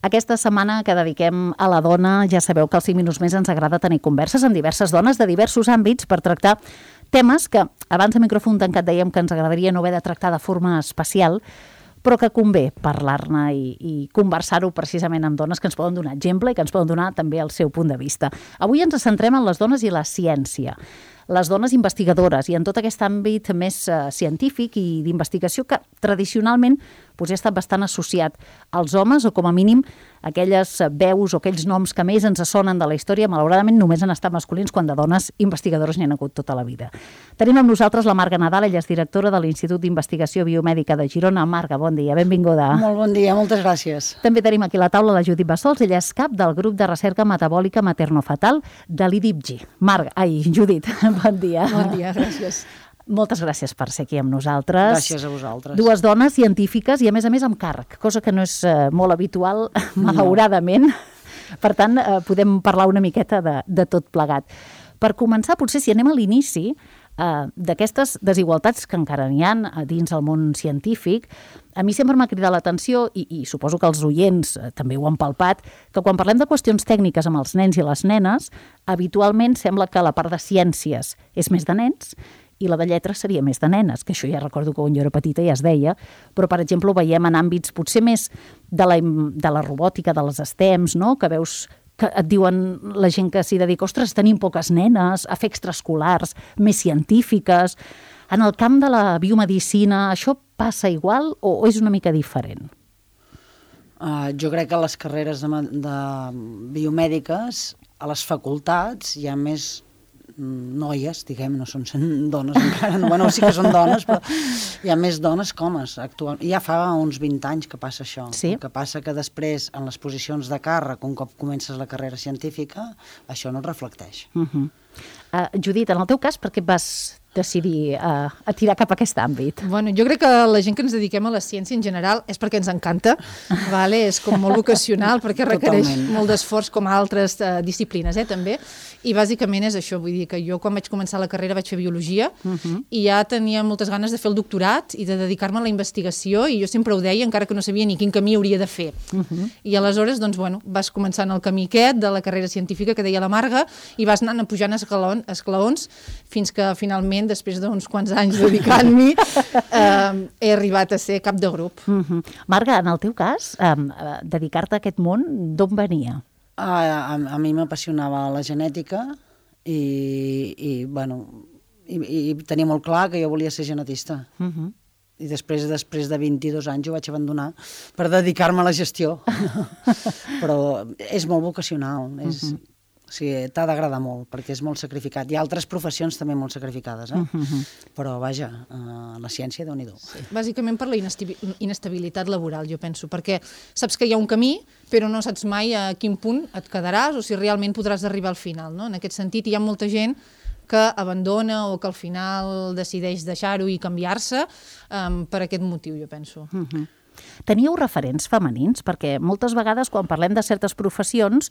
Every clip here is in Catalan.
Aquesta setmana que dediquem a la dona, ja sabeu que als 5 minuts més ens agrada tenir converses amb diverses dones de diversos àmbits per tractar temes que abans de micròfon tancat dèiem que ens agradaria no haver de tractar de forma especial, però que convé parlar-ne i conversar-ho precisament amb dones que ens poden donar exemple i que ens poden donar també el seu punt de vista. Avui ens centrem en les dones i la ciència, les dones investigadores i en tot aquest àmbit més científic i d'investigació que tradicionalment ha estat bastant associat als homes o com a mínim aquelles veus o aquells noms que més ens sonen de la història, malauradament només han estat masculins quan de dones investigadores n'hi ha hagut tota la vida. Tenim amb nosaltres la Marga Nadal, ella és directora de l'Institut d'Investigació Biomèdica de Girona. Marga, bon dia, benvinguda. Molt bon dia, moltes gràcies. També tenim aquí a la taula la Judit Bassols, ella és cap del grup de recerca metabòlica maternofetal de l'IDIPGI. Judit, bon dia. Bon dia, gràcies. Moltes gràcies per ser aquí amb nosaltres. Gràcies a vosaltres. Dues dones científiques i, a més amb càrrec, cosa que no és molt habitual, malauradament. Per tant, podem parlar una miqueta de tot plegat. Per començar, potser si anem a l'inici d'aquestes desigualtats que encara n'hi ha dins el món científic, a mi sempre m'ha cridat l'atenció, i suposo que els oients també ho han palpat, que quan parlem de qüestions tècniques amb els nens i les nenes, habitualment sembla que la part de ciències és més de nens i la de lletres seria més de nenes, que això ja recordo que quan jo era petita ja es deia, però, per exemple, ho veiem en àmbits potser més de la robòtica, de les STEMs, no? Que veus que et diuen la gent que s'hi dedica, ostres, tenim poques nenes, a fer extraescolars, més científiques. En el camp de la biomedicina, això passa igual o és una mica diferent? Jo crec que a les carreres de biomèdiques, a les facultats, hi ha més noies, diguem, no són dones encara, bueno, sí que són dones, però hi ha més dones que homes actualment. Ja fa uns 20 anys que passa això. Sí. El que passa que després, en les posicions de càrrec, un cop comences la carrera científica, això no es reflecteix. Judit, en el teu cas, per què vas decidir a tirar cap a aquest àmbit? Bueno, jo crec que la gent que ens dediquem a la ciència en general és perquè ens encanta, vale? És com molt vocacional, perquè requereix molt d'esforç com a altres disciplines, també, i bàsicament és això, vull dir que jo quan vaig començar la carrera vaig fer biologia i ja tenia moltes ganes de fer el doctorat i de dedicar-me a la investigació i jo sempre ho deia, encara que no sabia ni quin camí hauria de fer. I aleshores, doncs, bueno, vas començant el camí aquest de la carrera científica que deia la Marga i vas anant pujant esclaons fins que finalment, després d'uns quants anys dedicant-m'hi, he arribat a ser cap de grup. Marga, en el teu cas, dedicar-te a aquest món, d'on venia? A mi m'apassionava la genètica i tenia molt clar que jo volia ser genetista. I després de 22 anys ho vaig abandonar per dedicar-me a la gestió. Però és molt vocacional, o sigui, t'ha d'agradar molt, perquè és molt sacrificat. Hi ha altres professions també molt sacrificades, però vaja, la ciència, Déu-n'hi-do. Sí. Bàsicament per la inestabilitat laboral, jo penso, perquè saps que hi ha un camí, però no saps mai a quin punt et quedaràs o si realment podràs arribar al final, no? En aquest sentit, hi ha molta gent que abandona o que al final decideix deixar-ho i canviar-se per aquest motiu, jo penso. Teníeu referents femenins? Perquè moltes vegades quan parlem de certes professions,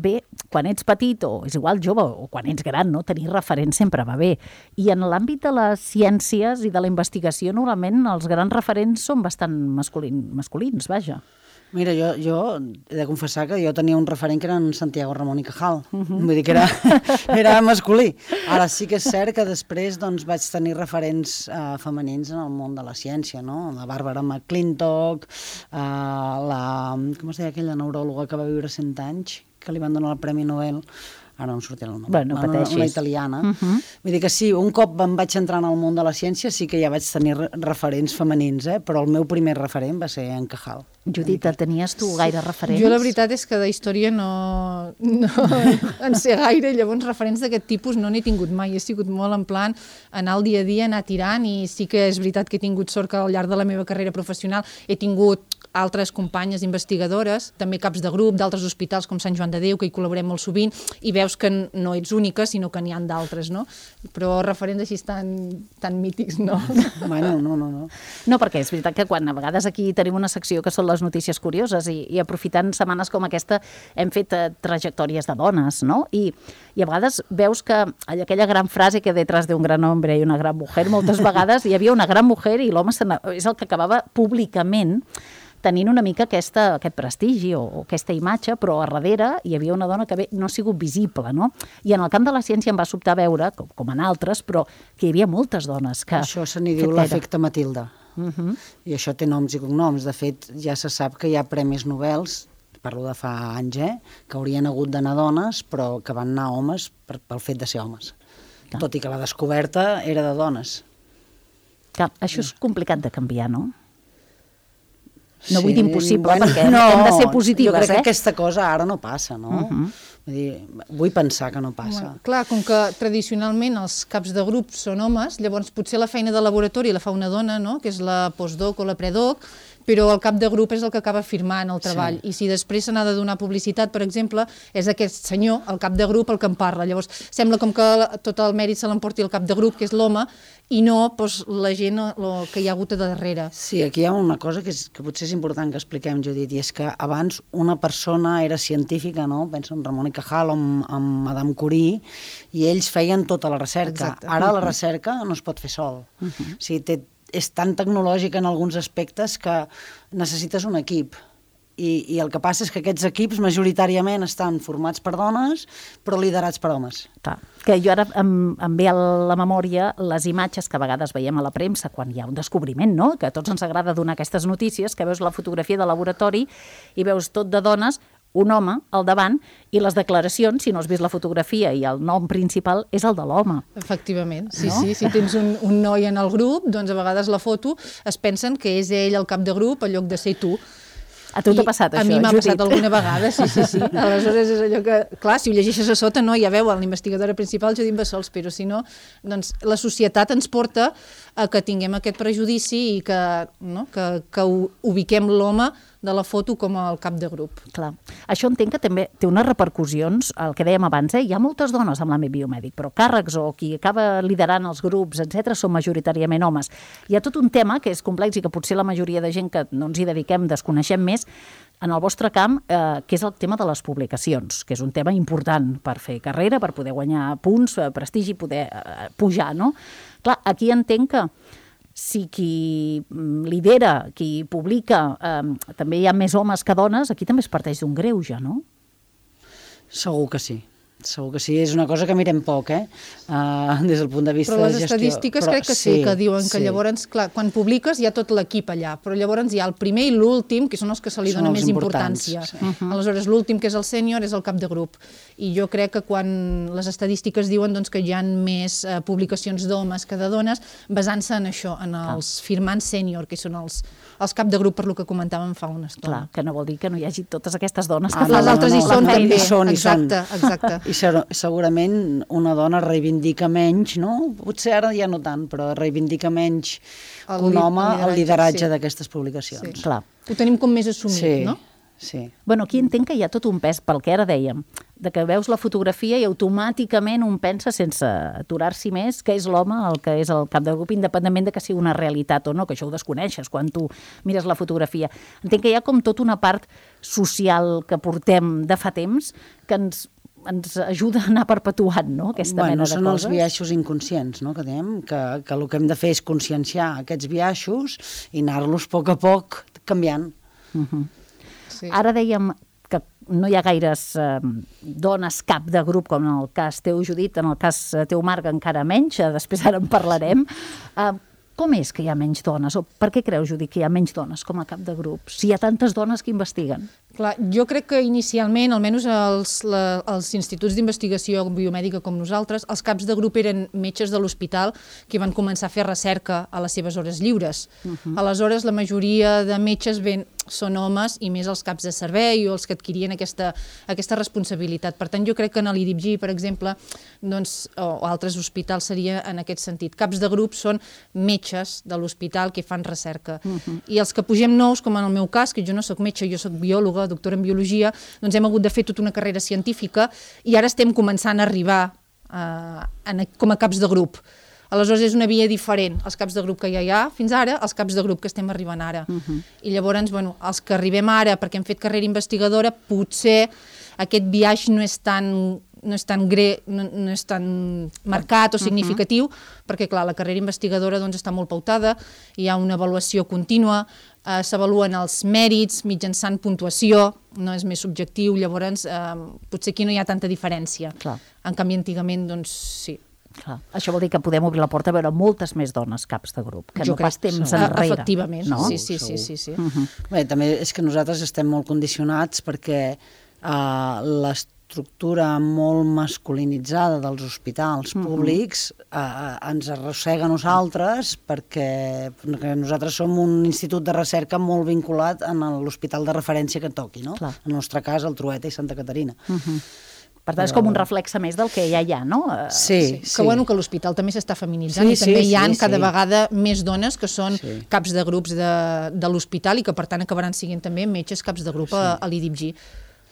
bé, quan ets petit o és igual jove o quan ets gran, no? Tenir referents sempre va bé. I en l'àmbit de les ciències i de la investigació, normalment els grans referents són bastant masculins, vaja. Mira, jo he de confessar que jo tenia un referent que era en Santiago Ramon i Cajal. Vull dir que era masculí. Ara sí que és cert que després vaig tenir referents femenins en el món de la ciència, no? La Bàrbara McClintock, com es deia aquella neuròloga que va viure 100 anys, que li van donar el Premi Nobel, ara no em sortirà el nom, una italiana. Vull dir que sí, un cop em vaig entrar en el món de la ciència sí que ja vaig tenir referents femenins, però el meu primer referent va ser en Cajal. Judit, tenies tu gaire referents? Jo la veritat és que de història no en sé gaire, llavors referents d'aquest tipus no n'he tingut mai, he sigut molt en plan anar al dia a dia, anar tirant, i sí que és veritat que he tingut sort que al llarg de la meva carrera professional he tingut altres companyes investigadores, també caps de grup d'altres hospitals com Sant Joan de Déu, que hi col·laborem molt sovint, i veus que no ets única, sinó que n'hi ha d'altres, no? Però referents així tan mítics, no? Bueno, no. No, perquè és veritat que quan a vegades aquí tenim una secció que són les notícies curioses i aprofitant setmanes com aquesta hem fet trajectòries de dones, no? I a vegades veus que aquella gran frase que detrás d'un gran hombre i una gran mujer, moltes vegades hi havia una gran mujer i l'home és el que acabava públicament tenint una mica aquest prestigi o aquesta imatge, però a darrere hi havia una dona que no ha sigut visible, no? I en el camp de la ciència em va sobtar veure, com en altres, però que hi havia moltes dones que... Això se n'hi diu l'efecte Matilda. I això té noms i cognoms. De fet, ja se sap que hi ha premis Nobels, parlo de fa anys, que haurien hagut d'anar dones, però que van anar homes pel fet de ser homes. Tot i que la descoberta era de dones. Clar, això és complicat de canviar, no? No vull dir impossible, perquè hem de ser positives, jo crec que aquesta cosa ara no passa, no? Vull dir, vull pensar que no passa. Clar, com que tradicionalment els caps de grup són homes, llavors potser la feina de laboratori la fa una dona, no?, que és la postdoc o la predoc, però el cap de grup és el que acaba firmant el treball. I si després se n'ha de donar publicitat, per exemple, és aquest senyor, el cap de grup, el que en parla. Llavors, sembla com que tot el mèrit se l'emporti el cap de grup, que és l'home, i no la gent que hi ha hagut a darrere. Sí, aquí hi ha una cosa que potser és important que expliquem, Judit, i és que abans una persona era científica, no? Penso en Ramon y Cajal o en Madame Curie, i ells feien tota la recerca. Exacte. Ara la recerca no es pot fer sol. O sigui, és tan tecnològica en alguns aspectes que necessites un equip. I el que passa és que aquests equips majoritàriament estan formats per dones, però liderats per homes. Clar, que jo ara em ve a la memòria les imatges que a vegades veiem a la premsa quan hi ha un descobriment, no?, que a tots ens agrada donar aquestes notícies, que veus la fotografia de laboratori i veus tot de dones, un home al davant, i les declaracions, si no has vist la fotografia i el nom principal, és el de l'home. Efectivament, sí, No? sí. Si tens un noi en el grup, doncs a vegades la foto es pensen que és ell el cap de grup en lloc de ser tu. A tu t'ha passat això, A mi m'ha Judit? passat alguna vegada, sí. Aleshores és allò que, clar, si ho llegeixes a sota, no, ja veu, l'investigadora principal, Judit Bassols, però si no, doncs la societat ens porta a que tinguem aquest prejudici i que ubiquem l'home de la foto com el cap de grup. Clar. Això entenc que també té unes repercussions, el que dèiem abans, hi ha moltes dones en l'àmbit biomèdic, però càrrecs o qui acaba liderant els grups, etc., són majoritàriament homes. Hi ha tot un tema que és complex i que potser la majoria de gent que no ens hi dediquem desconeixem més, en el vostre camp, que és el tema de les publicacions, que és un tema important per fer carrera, per poder guanyar punts, prestigi, poder pujar, no? Clar, aquí entenc que si qui lidera, qui publica, també hi ha més homes que dones, aquí també es parteix d'un greuge, no? Segur que sí. Segur que sí, és una cosa que mirem poc, des del punt de vista de gestió. Però les estadístiques crec que sí, que diuen que llavors, clar, quan publiques hi ha tot l'equip allà, però llavors hi ha el primer i l'últim, que són els que se li dona més importància. Aleshores, l'últim, que és el sènior, és el cap de grup. I jo crec que quan les estadístiques diuen que hi ha més publicacions d'homes que de dones, basant-se en això, en els firmants sènior, que són els cap de grup, per lo que comentàvem fa una estona. Clar, que no vol dir que no hi hagi totes aquestes dones. Les altres hi són també. Exacte. I segurament una dona reivindica menys, no? Potser ara ja no tant, però reivindica menys que un home el lideratge d'aquestes publicacions. Sí. Clar. Ho tenim com més assumit, no? Sí. Bueno, aquí entenc que hi ha tot un pes, pel que ara dèiem, de que veus la fotografia i automàticament un pensa, sense aturar-s'hi més, que és l'home el que és el cap de grup, independentment de que sigui una realitat o no, que això ho desconeixes quan tu mires la fotografia. Entenc que hi ha com tota una part social que portem de fa temps que ens ajuda a anar perpetuant, no?, aquesta mena de coses. Són els biaixos inconscients, no?, que diem, que el que hem de fer és conscienciar aquests biaixos i anar-los a poc canviant. Sí. Ara dèiem que no hi ha gaires dones cap de grup, com en el cas teu, Judit, en el cas teu, Marc, encara menys, després ara en parlarem. Com és que hi ha menys dones? O per què creus, Judit, que hi ha menys dones com a cap de grup, si hi ha tantes dones que investiguen? Clar, jo crec que inicialment, almenys els instituts d'investigació biomèdica com nosaltres, els caps de grup eren metges de l'hospital que van començar a fer recerca a les seves hores lliures. Aleshores, la majoria de metges són homes i més els caps de servei o els que adquirien aquesta responsabilitat. Per tant, jo crec que en l'IDIPG, per exemple, o altres hospitals seria en aquest sentit. Caps de grup són metges de l'hospital que fan recerca. I els que pugem nous, com en el meu cas, que jo no soc metge, jo soc biòloga, doctora en biologia, doncs hem hagut de fer tota una carrera científica i ara estem començant a arribar com a caps de grup. Aleshores és una via diferent, els caps de grup que ja hi ha fins ara, els caps de grup que estem arribant ara. I llavors, els que arribem ara perquè hem fet carrera investigadora, potser aquest biaix no és tan no és tan no és tan marcat o significatiu, perquè, clar, la carrera investigadora doncs, està molt pautada, hi ha una avaluació contínua, s'avaluen els mèrits mitjançant puntuació, no és més subjectiu, llavors potser aquí no hi ha tanta diferència. Clar. En canvi, antigament, doncs sí. Clar. Això vol dir que podem obrir la porta a veure moltes més dones caps de grup, que no pas temps enrere. Efectivament, no? Sí. Bé, també és que nosaltres estem molt condicionats perquè l'estructura molt masculinitzada dels hospitals públics ens arrossega a nosaltres perquè nosaltres som un institut de recerca molt vinculat a l'hospital de referència que toqui, no? Clar. En el nostre cas, el Trueta i Santa Caterina. Per tant, és com un reflexe més del que ja hi ha, no? Sí. Que l'hospital també s'està feminitzant i també hi ha cada vegada més dones que són caps de grups de l'hospital i que, per tant, acabaran sent també metges caps de grup a l'IDIPG.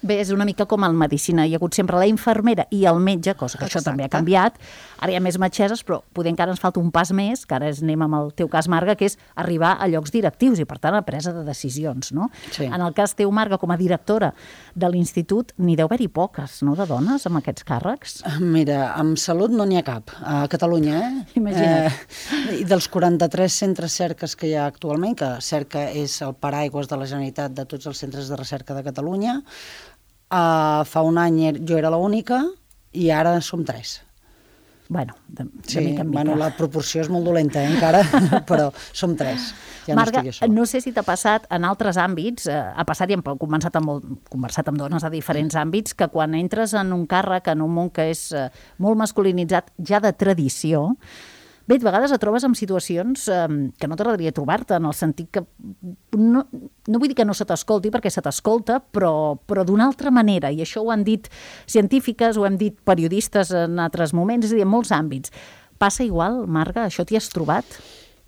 Bé, és una mica com en medicina. Hi ha hagut sempre la infermera i el metge, cosa que això també ha canviat. Ara hi ha més metgesses, però poder encara ens falta un pas més, que ara anem amb el teu cas, Marga, que és arribar a llocs directius i, per tant, a presa de decisions, no? Sí. En el cas teu, Marga, com a directora de l'institut, n'hi deu haver-hi poques, no?, de dones amb aquests càrrecs. Mira, amb salut no n'hi ha cap, a Catalunya, Imagina't. I dels 43 centres cerques que hi ha actualment, que cerca és el paraigües de la Generalitat de tots els centres de recerca de Catalunya, fa un any jo era l'única i ara som 3. Bueno, de mica en mica. Bueno, la proporció és molt dolenta, encara, però som 3. Ja Marga, no estic no sé si t'ha passat en altres àmbits, ha passat i hem conversat amb dones de diferents àmbits, que quan entres en un càrrec, en un món que és molt masculinitzat, ja de tradició, bé, a vegades et trobes en situacions que no t'agradaria trobar-te, en el sentit que no vull dir que no se t'escolti, perquè se t'escolta, però d'una altra manera, i això ho han dit científiques, ho hem dit periodistes en altres moments, és a dir, en molts àmbits. Passa igual, Marga? Això t'hi has trobat?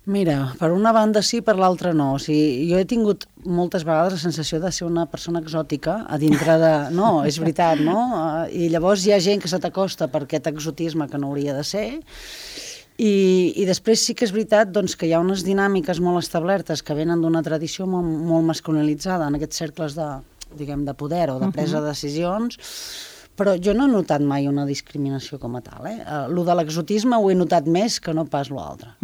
Mira, per una banda sí, per l'altra no. O sigui, jo he tingut moltes vegades la sensació de ser una persona exòtica a dintre de... No, és veritat, no? I llavors hi ha gent que se t'acosta per aquest exotisme que no hauria de ser. I després sí que és veritat doncs, que hi ha unes dinàmiques molt establertes que venen d'una tradició molt masculinitzada en aquests cercles de poder o de presa de decisions, però jo no he notat mai una discriminació com a tal. Lo de l'exotisme ho he notat més que no pas l'altre.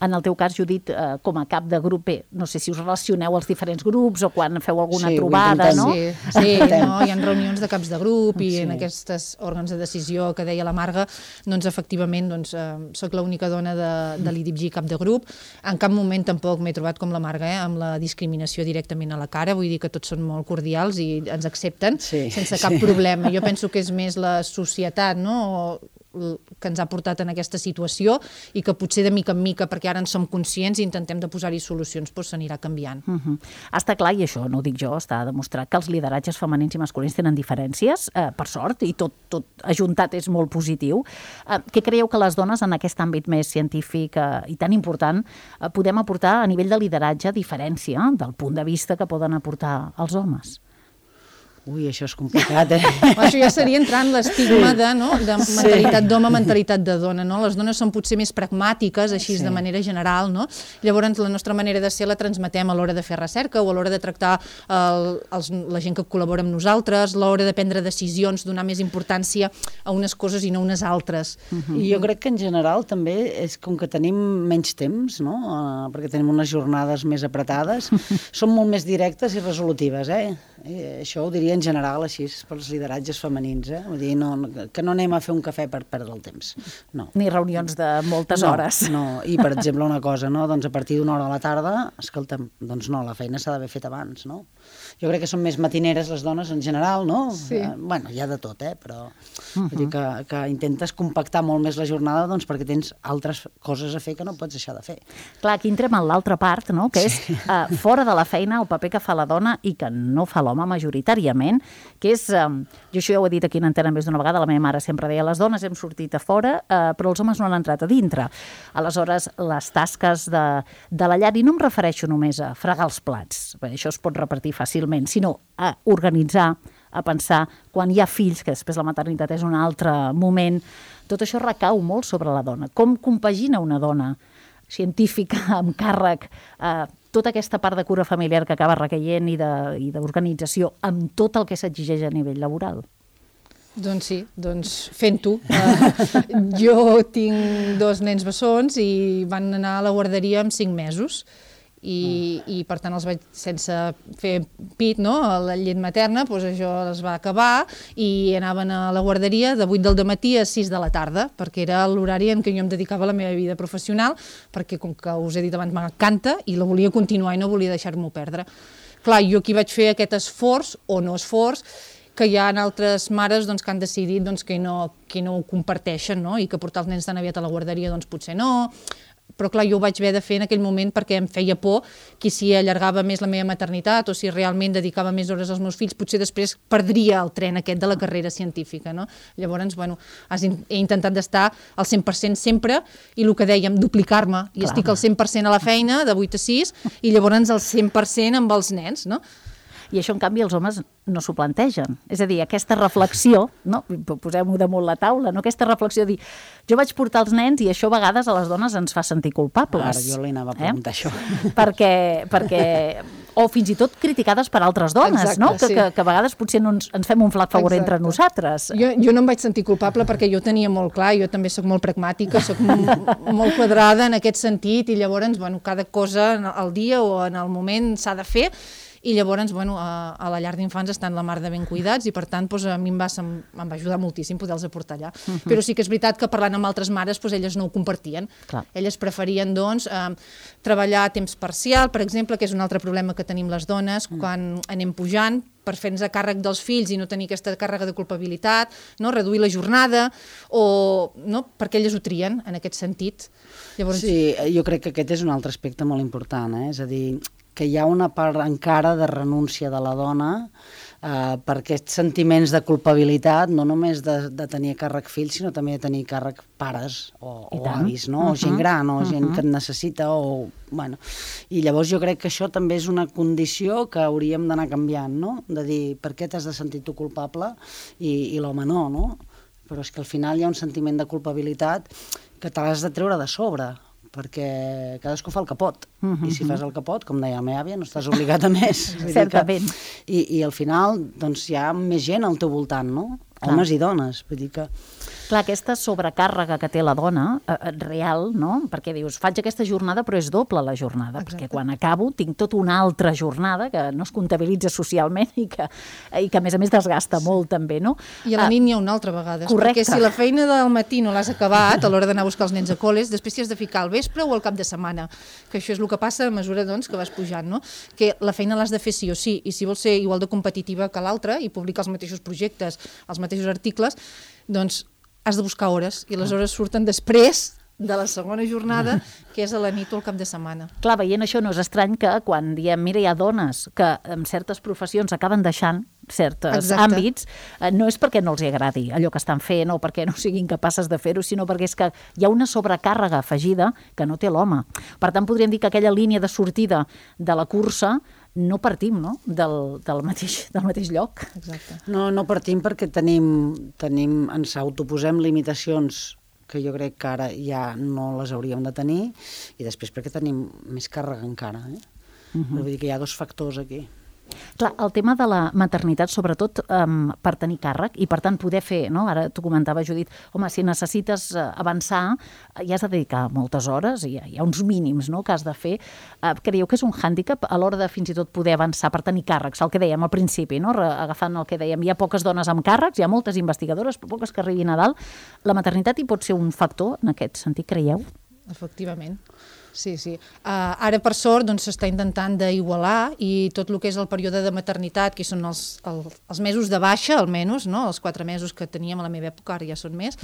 En el teu cas, Judit, com a cap de grup, bé, no sé si us relacioneu als diferents grups o quan feu alguna trobada, no? Sí, no? Hi ha reunions de caps de grup i en aquests òrgans de decisió que deia la Marga, doncs efectivament soc l'única dona de l'IDIPG cap de grup. En cap moment tampoc m'he trobat com la Marga, amb la discriminació directament a la cara, vull dir que tots són molt cordials i ens accepten sense cap problema. Jo penso que és més la societat, no?, que ens ha portat en aquesta situació i que potser de mica en mica, perquè ara en som conscients i intentem de posar-hi solucions, doncs s'anirà canviant. Està clar, i això no ho dic jo, està demostrat que els lideratges femenins i masculins tenen diferències, per sort, i tot ajuntat és molt positiu. Què creieu que les dones en aquest àmbit més científic i tan important podem aportar a nivell de lideratge diferència del punt de vista que poden aportar els homes? Ui, això és complicat, Això ja seria entrar en l'estigma de mentalitat d'home, mentalitat de dona, no? Les dones són potser més pragmàtiques, així de manera general, no? Llavors, la nostra manera de ser la transmetem a l'hora de fer recerca o a l'hora de tractar la gent que col·labora amb nosaltres, a l'hora de prendre decisions, donar més importància a unes coses i no a unes altres. I jo crec que en general també és com que tenim menys temps, no? Perquè tenim unes jornades més apretades, som molt més directes i resolutives, Això ho diria en general així pels lideratges femenins, Vull dir, que no anem a fer un cafè per perdre el temps, no. Ni reunions de moltes hores. No, i per exemple una cosa, no? Doncs a partir d'una hora a la tarda, escolta'm, doncs no, la feina s'ha d'haver fet abans, no? Jo crec que són més matineres les dones en general, no? Sí. Bueno, hi ha de tot, però vull dir que intentes compactar molt més la jornada doncs perquè tens altres coses a fer que no pots deixar de fer. Clar, aquí entrem en l'altra part, no? Que és fora de la feina el paper que fa la dona i que no fa l'home majoritàriament, que és, jo això ja ho he dit aquí en antena més d'una vegada, la meva mare sempre deia, les dones hem sortit a fora, però els homes no han entrat a dintre. Aleshores, les tasques de la llar, i no em refereixo només a fregar els plats, perquè això es pot repartir fàcilment, sinó a organitzar, a pensar, quan hi ha fills, que després la maternitat és un altre moment, tot això recau molt sobre la dona. Com compagina una dona científica amb càrrec tota aquesta part de cura familiar que acaba recaient i d'organització amb tot el que s'exigeix a nivell laboral? Doncs sí, fent-ho. Jo tinc 2 nens bessons i van anar a la guarderia amb 5 mesos. I per tant els vaig sense fer pit, no? La llet materna, doncs això es va acabar i anaven a la guarderia de 8 del matí a 6 de la tarda, perquè era l'horari en què jo em dedicava a la meva vida professional, perquè com que us he dit abans m'encanta i la volia continuar i no volia deixar-m'ho perdre. Clar, jo aquí vaig fer aquest esforç o no esforç que hi ha altres mares doncs, que han decidit doncs, que no ho comparteixen, no? I que portar els nens tan aviat a la guarderia doncs, potser no. Però clar, jo ho vaig haver de fer en aquell moment perquè em feia por que si allargava més la meva maternitat o si realment dedicava més hores als meus fills, potser després perdria el tren aquest de la carrera científica, no? Llavors, bueno, he intentat d'estar al 100% sempre i el que dèiem, duplicar-me. I estic al 100% a la feina, de 8 a 6, i llavors al 100% amb els nens, no? I això, en canvi, els homes no s'ho plantegen. És a dir, aquesta reflexió, no? Posem-ho damunt la taula, no? Aquesta reflexió de dir, jo vaig portar els nens i això a vegades a les dones ens fa sentir culpables. Ara, jo li anava a preguntar això. Perquè o fins i tot criticades per altres dones, exacte, no? Sí. Que a vegades potser no ens fem un flac favor entre nosaltres. Jo no em vaig sentir culpable perquè jo tenia molt clar, jo també soc molt pragmàtica, soc molt quadrada en aquest sentit i llavors, bueno, cada cosa al dia o en el moment s'ha de fer. I llavors, bueno, a la llar d'infants estan la mar de ben cuidats i per tant doncs, a mi em va ajudar moltíssim poder-los aportar allà. Però sí que és veritat que parlant amb altres mares doncs, elles no ho compartien. Clar. Elles preferien doncs, treballar a temps parcial, per exemple, que és un altre problema que tenim les dones quan anem pujant per fer-nos a càrrec dels fills i no tenir aquesta càrrega de culpabilitat, no? Reduir la jornada, o no? Perquè elles ho trien en aquest sentit. Llavors... Sí, jo crec que aquest és un altre aspecte molt important, és a dir, que hi ha una part encara de renúncia de la dona per aquests sentiments de culpabilitat, no només de tenir a càrrec fills, sinó també de tenir a càrrec pares o avis, no? O gent gran, o gent que et necessita, o... Bueno. I llavors jo crec que això també és una condició que hauríem d'anar canviant, no? De dir, per què t'has de sentir tu culpable i l'home no, no? Però és que al final hi ha un sentiment de culpabilitat que te l'has de treure de sobre, perquè cadascú fa el que pot. I si fas el que pot, com deia la meva àvia, no estàs obligat a més. Certament. I al final doncs, hi ha més gent al teu voltant, no? Homes i dones. Vull dir que... Clar, aquesta sobrecàrrega que té la dona, real, no? Perquè dius, faig aquesta jornada, però és doble la jornada, perquè quan acabo tinc tota una altra jornada que no es comptabilitza socialment i que a més desgasta molt també, no? I a la nit n'hi ha una altra vegada. Correcte. Perquè si la feina del matí no l'has acabat a l'hora d'anar a buscar els nens a col·les, després t'hi has de ficar al vespre o al cap de setmana, que això és el que passa a mesura doncs, que vas pujant, no? Que la feina l'has de fer sí o sí, i si vols ser igual de competitiva que l'altra i publicar els mateixos projectes, els mateixos articles, doncs has de buscar hores, i les hores surten després de la segona jornada, que és a la nit o al cap de setmana. Clar, veient això no és estrany que quan diem, mira, hi ha dones que en certes professions acaben deixant certs àmbits, no és perquè no els agradi allò que estan fent o perquè no siguin capaces de fer-ho, sinó perquè és que hi ha una sobrecàrrega afegida que no té l'home. Per tant, podríem dir que aquella línia de sortida de la cursa no partim, no? del mateix lloc. Exacte. No partim perquè ens autoposem limitacions que jo crec que ara ja no les hauríem de tenir, i després perquè tenim més càrrega encara. Vull dir que hi ha 2 factors aquí. Clar, el tema de la maternitat, sobretot per tenir càrrec i per tant poder fer, no? Ara t'ho comentava, Judit, home, si necessites avançar, hi has de dedicar moltes hores i hi ha uns mínims, no?, que has de fer. Creieu que és un hàndicap a l'hora de fins i tot poder avançar per tenir càrrecs, el que dèiem al principi, no? Agafant el que dèiem, hi ha poques dones amb càrrecs, hi ha moltes investigadores, però poques que arribin a dalt. La maternitat hi pot ser un factor en aquest sentit, creieu? Efectivament. Sí. Ara, per sort, doncs, s'està intentant d'igualar, i tot el que és el període de maternitat, que són els mesos de baixa, almenys, no? Els 4 mesos que teníem a la meva època, ara ja són més.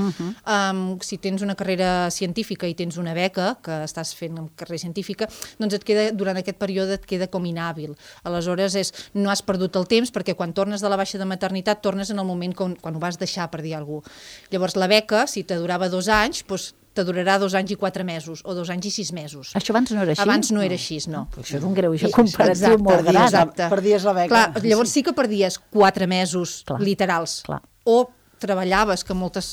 Si tens una carrera científica i tens una beca, que estàs fent una carrera científica, doncs durant aquest període et queda com inhàbil. Aleshores, no has perdut el temps, perquè quan tornes de la baixa de maternitat, tornes en el moment quan ho vas deixar, per dir alguna cosa. Llavors, la beca, si te durava 2 anys, doncs te durarà 2 anys i 4 mesos, o 2 anys i 6 mesos. Això abans no era així? Abans no era així, no. Això és un greuge comparatiu molt gran. Exacte. Perdies la beca. Clar, llavors sí que perdies 4 mesos literals. Clar. O treballaves, que moltes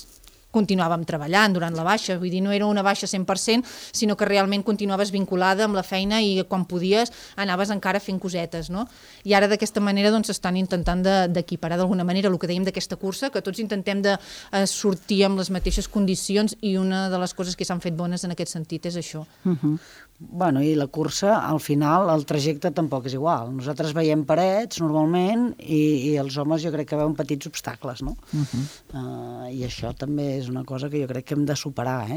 continuàvem treballant durant la baixa, vull dir, no era una baixa 100%, sinó que realment continuaves vinculada amb la feina i quan podies anaves encara fent cosetes, no? I ara d'aquesta manera doncs estan intentant d'equiparar d'alguna manera el que dèiem d'aquesta cursa, que tots intentem de sortir amb les mateixes condicions i una de les coses que s'han fet bones en aquest sentit és això. Bueno, i la cursa, al final, el trajecte tampoc és igual. Nosaltres veiem parets, normalment, i els homes jo crec que veuen petits obstacles, no? I això també és una cosa que jo crec que hem de superar,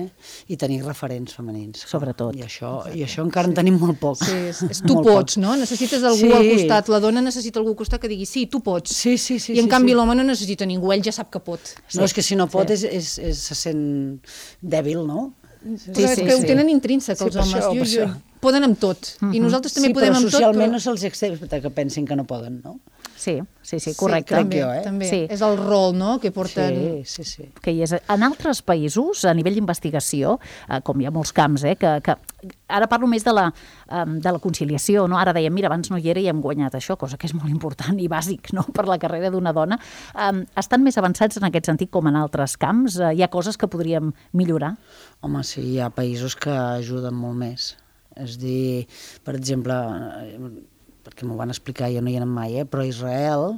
i tenir referents femenins. Sobretot. I això encara en tenim molt poc. Sí, tu pots, no? Necessites algú al costat, la dona necessita algú al costat que digui sí, tu pots. Sí. I en canvi l'home no necessita ningú, ell ja sap que pot. No, és que si no pot se sent dèbil, no? Però és que ho tenen intrínsec els homes, poden amb tot, i nosaltres també podem amb tot. Sí, però socialment no se'ls accepta que pensin que no poden, no? Sí, correcte. També. És el rol, no?, que porten... Sí. Que hi és. En altres països, a nivell d'investigació, com hi ha molts camps, que ara parlo més de la conciliació, no? Ara dèiem, mira, abans no hi era i hem guanyat això, cosa que és molt important i bàsic, no?, per la carrera d'una dona. Estan més avançats en aquest sentit com en altres camps? Hi ha coses que podríem millorar? Home, sí, hi ha països que ajuden molt més. És a dir, per exemple, perquè m'ho van explicar, jo no hi he anat mai, però a Israel,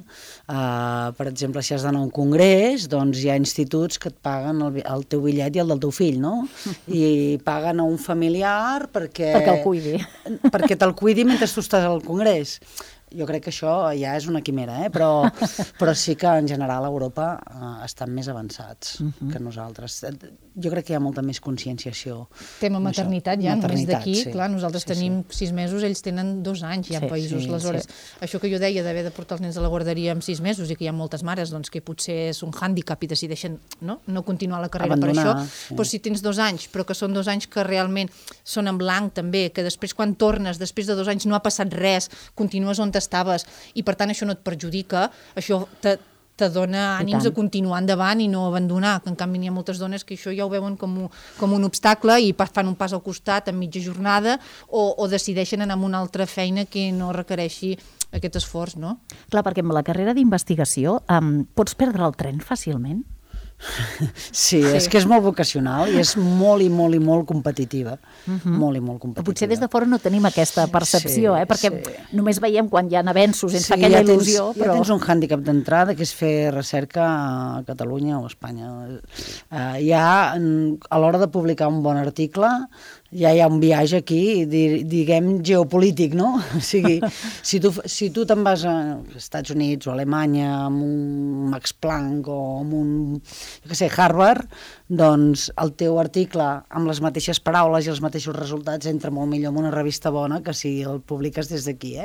per exemple, si has d'anar a un congrés, doncs hi ha instituts que et paguen el teu bitllet i el del teu fill, no? I paguen a un familiar perquè el cuidi. Perquè te'l cuidi mentre tu estàs al congrés. Jo crec que això ja és una quimera, però sí que en general a Europa estan més avançats que nosaltres. Jo crec que hi ha molta més conscienciació. Tema maternitat ja, només d'aquí, clar, nosaltres tenim 6 mesos, ells tenen 2 anys ja en països. Aleshores, això que jo deia d'haver de portar els nens a la guarderia amb 6 mesos i que hi ha moltes mares que potser és un hàndicap i decideixen no continuar la carrera per això, però si tens 2 anys, però que són 2 anys que realment són en blanc també, que després quan tornes, després de 2 anys no ha passat res, continues on estaves i per tant això no et perjudica, això te dona ànims a continuar endavant i no abandonar, que en canvi n'hi ha moltes dones que això ja ho veuen com un obstacle i fan un pas al costat en mitja jornada o decideixen anar amb una altra feina que no requereixi aquest esforç, no? Clar, perquè amb la carrera d'investigació pots perdre el tren fàcilment? Sí, és que és molt vocacional i és molt i molt i molt competitiva. Molt i molt competitiva. Potser des de fora no tenim aquesta percepció, perquè només veiem quan hi ha avenços, ens fa aquella il·lusió. Ja tens un hàndicap d'entrada, que és fer recerca a Catalunya o a Espanya. Ja a l'hora de publicar un bon article ja hi ha un viatge aquí, diguem, geopolític, no? O sigui, si tu te'n vas als Estats Units o a Alemanya amb un Max Planck o amb un, Harvard, doncs el teu article amb les mateixes paraules i els mateixos resultats entra molt millor en una revista bona que si el publiques des d'aquí,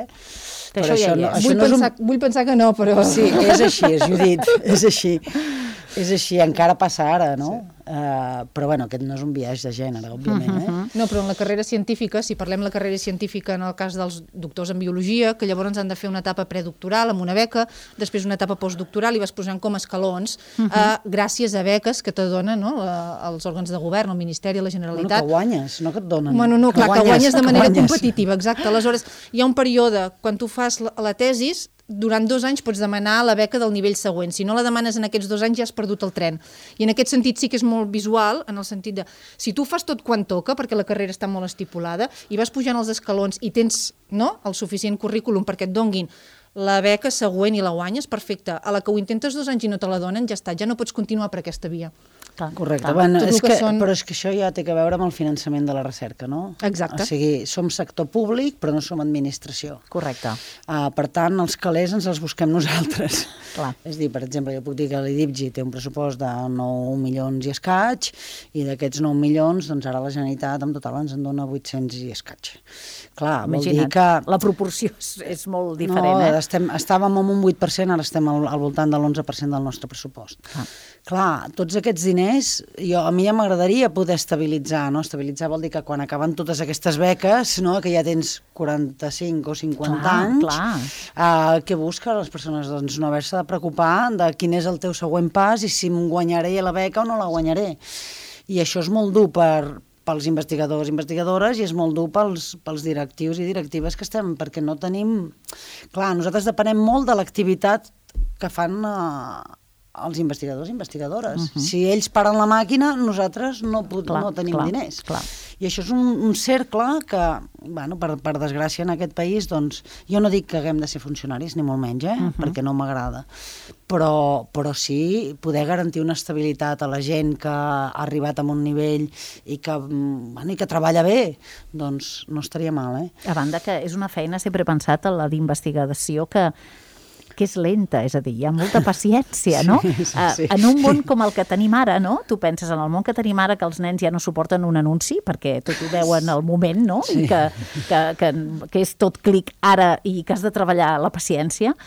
Però vull pensar que no, però... Sí, és així, Judit, és així. És així, encara passa ara, no? Però bueno, aquest no és un biaix de gènere, òbviament. No, però en la carrera científica, si parlem de la carrera científica en el cas dels doctors en biologia, que llavors han de fer una etapa predoctoral amb una beca, després una etapa postdoctoral i vas posant com escalons, gràcies a beques que te donen els òrgans de govern, el Ministeri, la Generalitat. Bueno, que guanyes, no que et donen. Bueno, no, clar, que guanyes de manera competitiva, exacte. Aleshores, hi ha un període, quan tu fas la tesis, durant 2 anys pots demanar la beca del nivell següent. Si no la demanes en aquests 2 anys ja has perdut el tren. I en aquest sentit sí que és molt visual, en el sentit de, si tu fas tot quan toca, perquè la carrera està molt estipulada, i vas pujant els escalons i tens el suficient currículum perquè et donguin la beca següent i la guanyes, perfecte. A la que ho intentes 2 anys i no te la donen, ja està, ja no pots continuar per aquesta via. Correcte, bueno, però és que això ja té que veure amb el finançament de la recerca, no? Exacte. O sigui, som sector públic, però no som administració. Correcte. Per tant, els calés ens els busquem nosaltres. Clar. És a dir, per exemple, jo puc dir que l'IDIPGI té un pressupost de 9 milions i escaig, i d'aquests 9 milions, doncs ara la Generalitat en total ens en dona 800 i escaig. Clar, vol dir que... La proporció és molt diferent, Estàvem en un 8%, ara estem al voltant de l'11% del nostre pressupost. Clar, tots aquests diners, a mi ja m'agradaria poder estabilitzar, no? Estabilitzar vol dir que quan acaben totes aquestes beques, que ja tens 45 o 50 anys, què busca les persones? Doncs no haver-se de preocupar de quin és el teu següent pas i si em guanyaré la beca o no la guanyaré. I això és molt dur pels investigadors i investigadores i és molt dur pels directius i directives que estem, perquè no tenim... Clar, nosaltres depenem molt de l'activitat que fan els investigadors i investigadores. Si ells paren la màquina, nosaltres no tenim diners. Clar. I això és un cercle que, bueno, per desgràcia en aquest país, doncs, jo no dic que haguem de ser funcionaris, ni molt menys, perquè no m'agrada, però sí poder garantir una estabilitat a la gent que ha arribat a un nivell i que treballa bé, doncs no estaria mal, A banda que és una feina, sempre he pensat, la d'investigació que és lenta, és a dir, hi ha molta paciència, no? Sí. En un món com el que tenim ara, no? Tu penses en el món que tenim ara que els nens ja no suporten un anunci perquè tot ho veuen al moment, no? I que és tot clic ara i que has de treballar la paciència.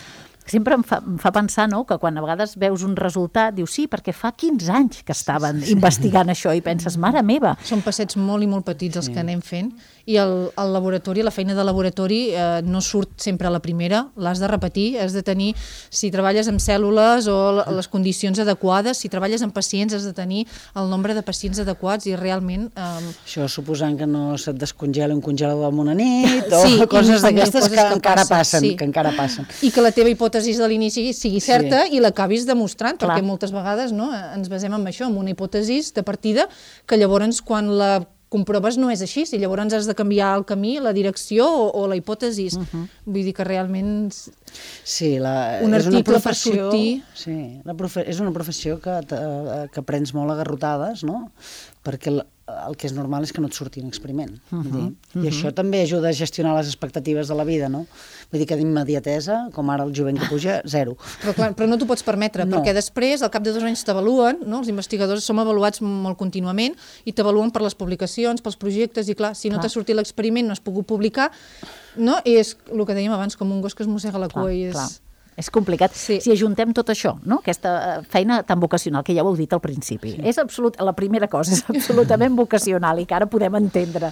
Sempre em fa pensar, no?, que quan a vegades veus un resultat, dius sí, perquè fa 15 anys que estaven investigant això i penses, mare meva. Són passets molt i molt petits els que anem fent i el laboratori, la feina de laboratori no surt sempre a la primera, l'has de repetir, has de tenir, si treballes amb cèl·lules o les condicions adequades, si treballes amb pacients has de tenir el nombre de pacients adequats i realment... Això suposant que no se't descongela un congelador en una nit o coses d'aquestes que encara passen. I que la teva hipòtesi de l'inici sigui certa i l'acabis demostrant, perquè moltes vegades ens basem en això, en una hipòtesi de partida que llavors quan la comproves no és així, i llavors has de canviar el camí, la direcció o la hipòtesi. Vull dir que realment un article per sortir... Sí, és una professió que prens molt a garrotades, no? Perquè el que és normal és que no et surti un experiment. I això també ajuda a gestionar les expectatives de la vida, no? Vull dir que d'immediatesa, com ara el jovent que puja, zero. Però no t'ho pots permetre, perquè després, al cap de 2 anys t'avaluen, no? Els investigadors som avaluats molt contínuament i t'avaluen per les publicacions, pels projectes, i clar, si no t'ha sortit l'experiment, no has pogut publicar, no? És el que dèiem abans, com un gos que es mossega la cua i és... És complicat. Si ajuntem tot això, no? Aquesta feina tan vocacional, que ja ho heu dit al principi, és la primera cosa, és absolutament vocacional i que ara podem entendre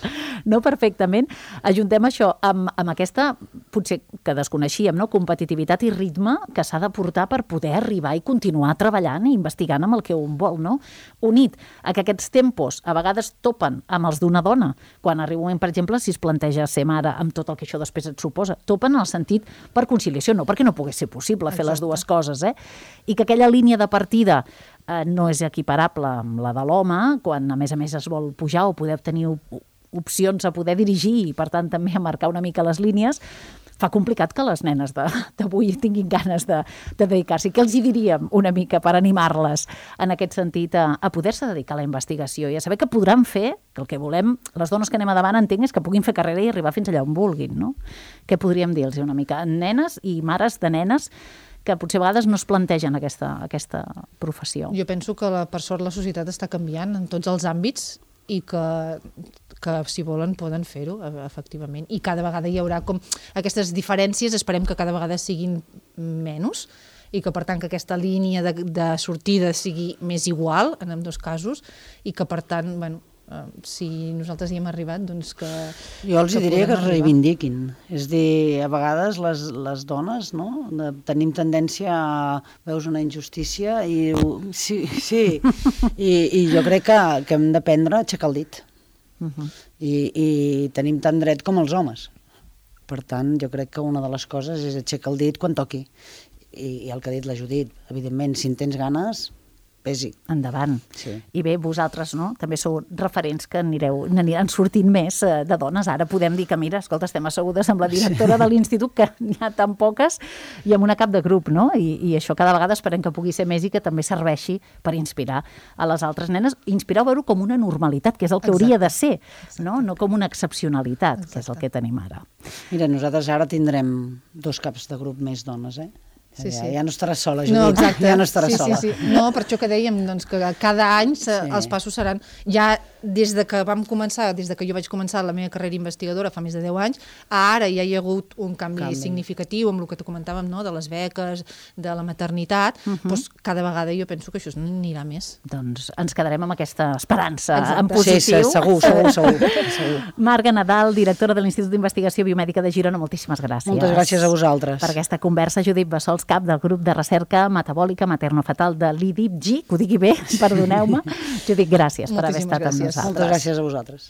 perfectament. Ajuntem això amb aquesta, potser que desconeixíem, competitivitat i ritme que s'ha de portar per poder arribar i continuar treballant i investigant amb el que un vol, no? Unit a que aquests tempos a vegades topen amb els d'una dona, quan arriba un moment, per exemple, si es planteja ser mare amb tot el que això després et suposa, topen en el sentit per conciliació, no perquè no pogués ser possible fer les dues coses, i que aquella línia de partida no és equiparable amb la de l'home, quan a més es vol pujar o poder tenir opcions a poder dirigir i per tant també a marcar una mica les línies, fa complicat que les nenes d'avui tinguin ganes de dedicar-s'hi. Què els hi diríem una mica per animar-les en aquest sentit a poder-se dedicar a la investigació i a saber que podran fer, que el que volem, les dones que anem a davant entenc és que puguin fer carrera i arribar fins allà on vulguin, no? Què podríem dir-los una mica? Nenes i mares de nenes que potser a vegades no es plantegen aquesta professió. Jo penso que per sort la societat està canviant en tots els àmbits i que si volen poden fer-ho, efectivament. I cada vegada hi haurà com aquestes diferències, esperem que cada vegada siguin menys i que per tant que aquesta línia de sortida sigui més igual en ambdós casos i que per tant, bueno, si nosaltres hi hem arribat, doncs que... Jo els diria que es reivindiquin. És a dir, a vegades les dones, no?, tenim tendència a veus una injustícia i jo crec que hem d'aprendre a aixecar el dit. I tenim tant dret com els homes. Per tant, jo crec que una de les coses és aixecar el dit quan toqui. I el que ha dit la Judit, evidentment, si en tens ganes... pesi. Endavant. Sí. I bé, vosaltres, no?, també sou referents que n'aniran sortint més de dones. Ara podem dir que, mira, escolta, estem assegudes amb la directora de l'institut, que n'hi ha tan poques, i amb una cap de grup, no? I això cada vegada esperem que pugui ser més i que també serveixi per inspirar a les altres nenes, inspirar a veure com una normalitat, que és el que hauria de ser, no com una excepcionalitat, que és el que tenim ara. Mira, nosaltres ara tindrem 2 caps de grup més dones, Ja no estaràs sola, Judit. No, exacte. Ja no estaràs sola. Sí. No, per això que dèiem que cada any els passos seran... Ja des de que vam començar, des de que jo vaig començar la meva carrera investigadora fa més de 10 anys, ara ja hi ha hagut un canvi significatiu amb el que te comentàvem, no?, de les beques, de la maternitat, doncs cada vegada jo penso que això anirà més. Doncs ens quedarem amb aquesta esperança en positiu. Sí, segur. Marga Nadal, directora de l'Institut d'Investigació Biomèdica de Girona, moltíssimes gràcies. Moltes gràcies a vosaltres. Per aquesta conversa. Judit Bassols, cap del grup de recerca metabòlica materno-fetal de l'IDIPG, que ho digui bé, perdoneu-me. Judit, gràcies per haver estat amb nosaltres. Moltes gràcies a vosaltres.